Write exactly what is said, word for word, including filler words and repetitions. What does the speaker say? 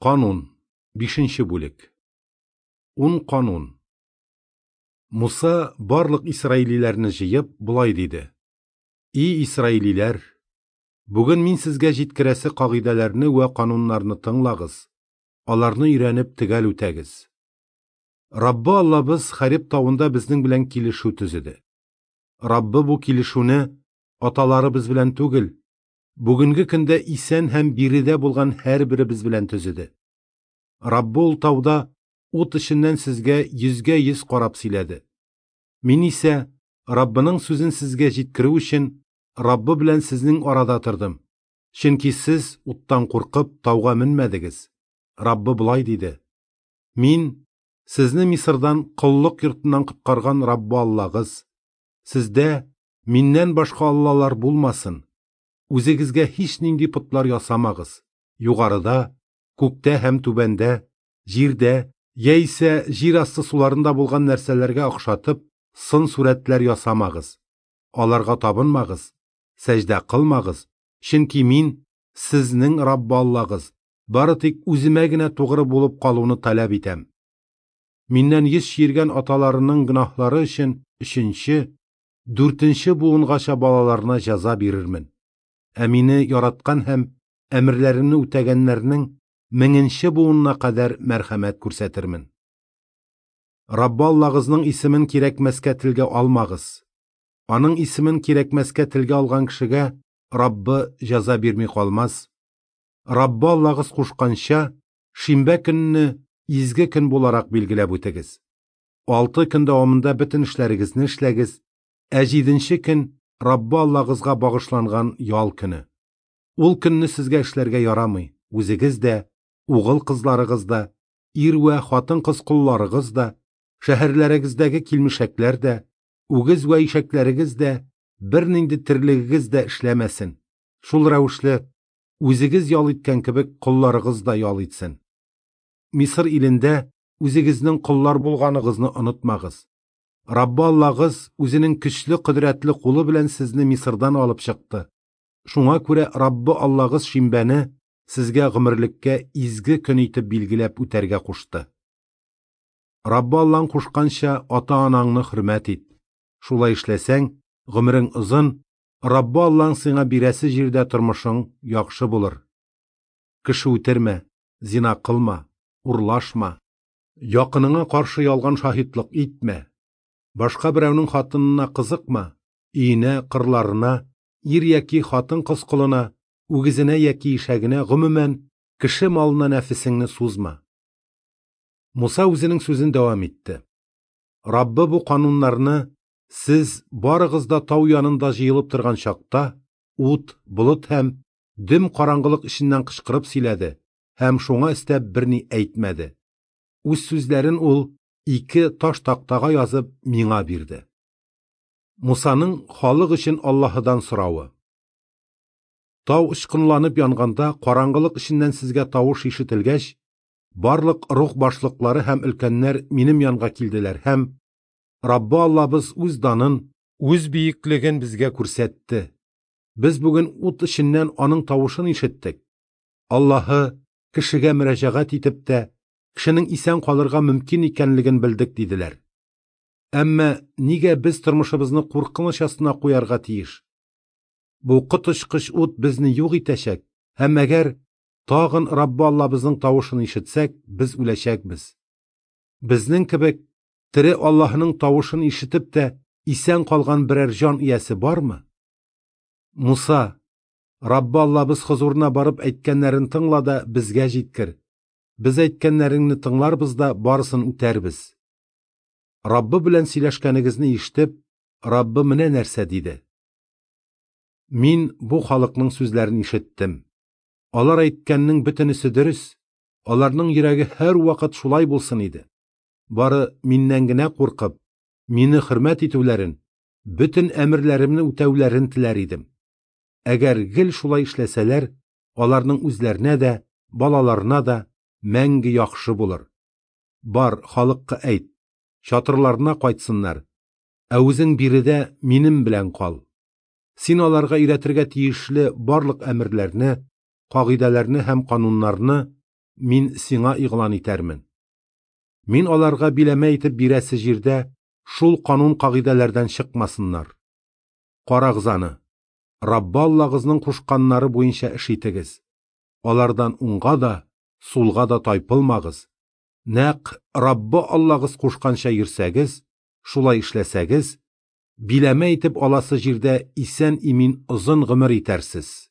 Канун, бишенче бүлек. Ун канун. Муса барлык исраилиләрне җыеп, болай диде: И исраилиләр, бүген мин сезгә җиткерәсе кагыйдәләрне вә кануннарны тыңлагыз, аларны өйрәнеп төгәл үтәгез. Раббы Аллабыз Хареб тавында безнең белән килешү төзеде. Раббы бу килешүне аталарыбыз белән түгел, бүгенге көндә исән һәм биредә булган һәрберебез белән төзеде. Раббы ул тауда ут эченнән сезгә йөзгә йөз карап сөйләде. Мин исә Раббының сүзен сезгә җиткерү өчен Раббы белән сезнең арада тордым. Чөнки сез уттан куркып тауга менмәдегез. Раббы болай диде: Мин сезне Мисырдан коллык йортыннан коткарган Раббы Аллагыз. Сездә миннән башка аллалар булмасын. Үзегезгә һич нинди потлар ясамагыз. Югарыда, күктә һәм түбәндә, җирдә яисә җир асты суларында булган нәрсәләргә охшатып сын сурәтләр ясамагыз. Аларга табынмагыз, сәҗдә кылмагыз, чөнки мин сезнең Раббы Аллагыз, бары тик үземә генә тугры булып калуны таләп итәм. Миннән йөз чөергән аталарының гөнаһлары өчен өченче, дүртенче буынгача балаларына җәза бирермен. Ә мине яраткан һәм әмерләремне үтәгәннәрнең меңенче буынына кадәр мәрхәмәт күрсәтермен. Раббы Аллагызның исемен кирәкмәскә телгә алмагыз. Аның исемен кирәкмәскә телгә алган кешегә Раббы җәза бирми калмас. Раббы Аллагыз кушканча, шимбә көнне изге көн буларак билгеләп үтегез. Алты көн дәвамында бөтен эшләрегезне эшләгез, ә җиденче көн Раббы Аллагызга багышланган ял көне. Ул көнне сезгә эшләргә ярамый, үзегез дә, угыл кызларыгыз да, ир вә хатын-кыз колларыгыз да, шәһәрләрегездәге килмешәкләр дә, үгез вә ишәкләрегез дә, бернинди терлегегез дә эшләмәсен. Шул рәвешле үзегез ял иткән кебек колларыгыз да ял итсен. Мисыр илендә үзегезнең коллар булганыгызны онытмагыз. Раббы Аллагыз үзенең көчле кодрәтле кулы белән сезне Мисырдан алып чыкты. Шуңа күрә Раббы Аллагыз шимбәне сезгә гомерлеккә изге көн итеп билгеләп үтәргә кушты. Раббы Аллаң кушканча ата-анаңны хөрмәт ит. Шулай эшләсәң, гомерең озын, Раббы Аллаң сиңа бирәсе җирдә тормышың яхшы булыр. Кеше үтермә, зина кылма, урлашма, якыныңа каршы ялган шаһитлык итмә, башка берәүнең хатынына кызыкма, өенә, кырларына, ир яки хатын-кыз колына, үгезенә яки ишәгенә, гомумән, кеше малына нәфесеңне сузма. Муса үзенең сүзен дәвам итте. Раббы бу кануннарны сез барыгыз да тау янында җыелып торган чакта ут, болыт һәм дөм караңгылык эченнән кычкырып сөйләде һәм шуңа өстәп берни әйтмәде. Үз сүзләрен ул ике таш тактага язып миңа бирде. Мусаның халык өчен Аллаһыдан соравы. Тау очкынланып янганда караңгылык эченнән сезгә тавыш ишетелгәч, барлык рух башлыклары һәм өлкәннәр минем янга килделәр һәм Раббы Аллабыз үз данын, үз бөеклеген безгә күрсәтте. Без бүген ут эченнән аның тавышын ишеттек. Аллаһы кешегә мөрәҗәгать итеп тә, кешенең исән калырга мөмкин икәнлеген белдек, диделәр. Әмма нигә без тормышыбызны куркыныч астына куярга тиеш? Бу коточкыч ут безне юк итәчәк, һәм әгәр тагын Раббы Аллабызның тавышын ишетсәк, без үләчәкбез. Безнең кебек тере Аллаһының тавышын ишетеп тә исән калган берәр җан иясе бармы? Муса, Раббы Аллабыз хозурына барып әйткәннәрен тыңла да безгә җиткер. Без әйткәннәреңне тыңларбыз да барысын үтәрбез. Раббы белән сөйләшкәнегезне ишетеп, Раббы менә нәрсә диде: Мин бу халыкның сүзләрен ишеттем. Алар әйткәннең бөтенесе дөрес, аларның йөрәге һәрвакыт шулай булсын иде. Бары миннән генә куркып, мине хөрмәт итүләрен, бөтен әмерләремне үтәүләрен теләр идем. Әгәр гел шулай эшләсәләр, аларның үзләренә дә, балаларына да мәңге яхшы булыр. Бар, халыкка әйт, чатырларына кайтсыннар, ә үзең биредә минем белән кал. Син аларга өйрәтергә тиешле барлык әмерләрне, кагыйдәләрне һәм кануннарны Мин сиңа игълан итәрмен. Мин аларга биләмә итеп бирәсе җирдә шул канун-кагыйдәләрдән чыкмасыннар. Карагыз аны, Раббы Аллагызның кушканнары буенча эш итегез. Алардан уңга да, сулга да тайпылмагыз. Нәкъ Раббы Аллагыз кушканча йөрсәгез, шулай эшләсәгез, биләмә итеп аласы җирдә исән-имин озын гомер итәрсез.